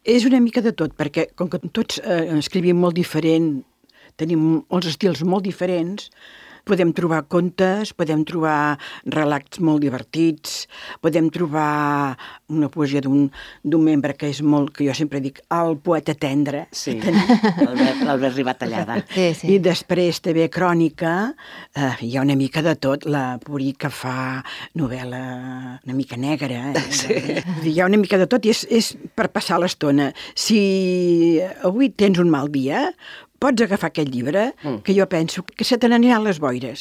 És una mica de tot, perquè com que tots escrivim molt diferent, tenim els estils molt diferents, podem trobar contes, podem trobar relats molt divertits, podem trobar una poesia d'un membre que és molt, que jo sempre dic, el poeta tendre. Sí, l'Albert Ribatallada. Sí. I després també crònica, hi ha una mica de tot, la Purí que fa novel·la una mica negra. Sí. Hi ha una mica de tot i és per passar l'estona. Si avui tens un mal dia, pots agafar aquest llibre, que jo penso que se te n'aniran les boires.